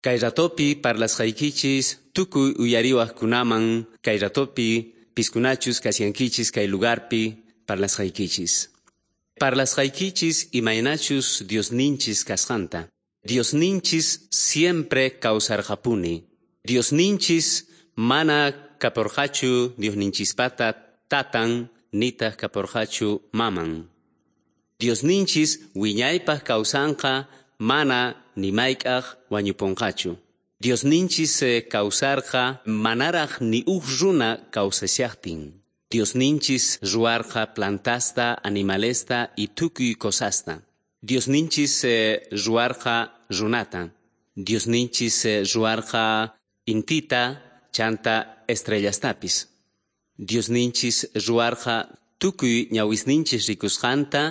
Kay ratopi parlasqaykichis tukuy uyariwaqkunaman, kay ratopi piskunachus kashankichis kay lugarpi parlasqaykichis. Parlasqaykichis imaynachus Diosninchis kasqanta. Diosninchis siempre kawsarqapuni. Diosninchis mana kaporqachu Diosninchispata tatan nitaq kaporqachu maman. Diosninchis wiñaypaq kawsanqa mana ni mayk'aq wañuponqachu. Diosninchis kawsarqa manaraq ni uj runa kawsashaqtin. Diosninchis ruwarqa plantasta, animalesta y tukuy cosasta. Diosninchis ruwarqa runata. Diosninchis ruwarqa intita, chanta estrellastapis. Diosninchis ruwarqa tukuy ñawisninchis rikusqanta,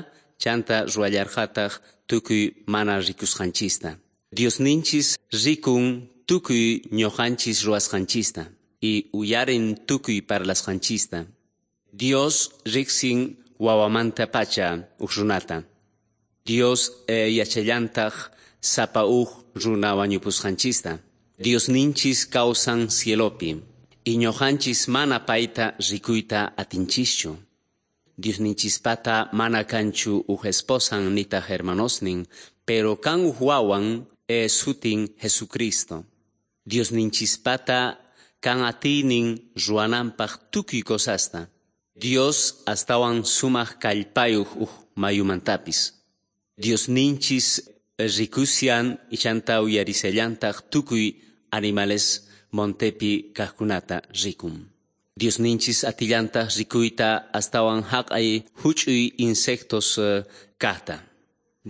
chanta ruwallarqataq tukuy mana rikusqanchista. Diosninchis rikun tukuy ñuqanchis ruwasqanchista y uyarin tukuy parlasqanchista. Dios riqsin wawamanta pacha uj runata. Dios yachallantaq sapa uj runa wañupusqanchista. Diosninchis kawsan cielopi y ñuqanchis mana payta rikuyta atinchischu. Diosninchispata mana kanchu uj esposan nitaq hermanosnin, pero kan uj wawan sutin Jesucristo. Diosninchispata kan atiynin ruwananpaq tukuy cosasta. Dios astawan sumaq kallpayuq uj mayumantapis. Diosninchis rikusian chanta uyarisallantaq tukuy animales montepi kaqkunata rikun. Diosninchis atillantaq rikuyta astawan haqay huch'uy insectos kaqta.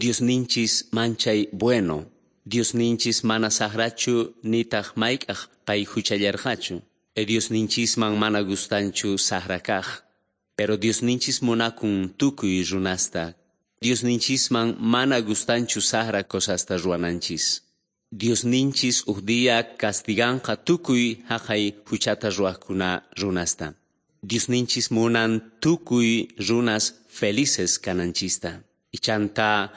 Diosninchis manchay bueno. Diosninchis mana saqrachu nitaq mayk'aq pay huchallarqachu. Diosninchisman mana gustanchu saqra kaq. Pero Diosninchis munakun tukuy runasta. Diosninchisman mana gustanchu saqra cosasta ruwananchis. Diosninchis uj día castiganqa tukuy haqay huchata ruwaqkuna runasta. Diosninchis munan tukuy runas felices kananchista. Y chanta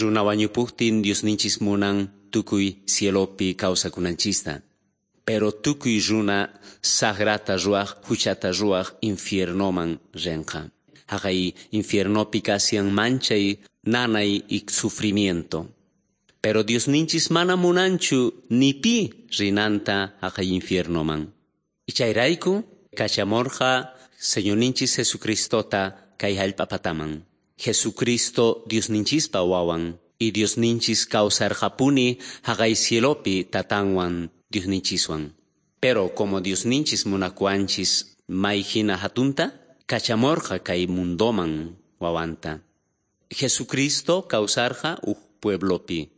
runa wañupuqtin Diosninchis munan tukuy cielopi kawsakunanchista. Pero tukuy runa saqrata ruwaq, huchata ruwaq infiernoman rinqa. Haqay infiernopi kashan manchay nanay y sufrimiento. Pero Diosninchis mana munanchu ni pi rinanta haqay infiernoman. Y chayrayku kachamorqa Señorninchis Jesucristota kay hallp'apataman. Jesucristo Diosninchispa wawan y Diosninchis kawsarqapuni haqay cielopi tatanwan Diosninchiswan. Pero como Diosninchis munakuwanchis may hina hatunta, kachamorqa kay mundoman wawanta. Jesucristo kawsarqa uj pueblopi.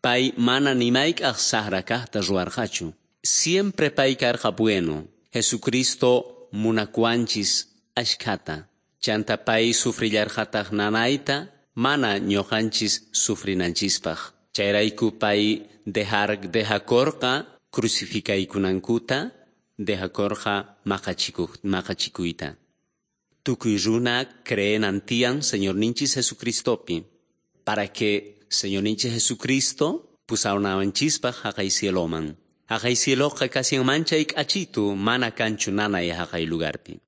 Pay mana ni mayk'aq saqra kaqta ruwarqachu. Siempre pay karqa bueno. Jesucristo munakuwanchis ashkhata. Chanta pay sufrillarqataq nanayta mana ñuqanchis sufrinanchispaq. Chayrayku pay dejakorqa crucificaykunankuta, dejakorqa maqachikuyta. Tukuy runa creenan tiyan Señorninchis Jesucristopi, para que Señorninchis Jesucristo pusawananchispaq haqay cieloman. Haqay cieloqa kashan manchay k'achitu mana kanchu nanay haqay lugarpi.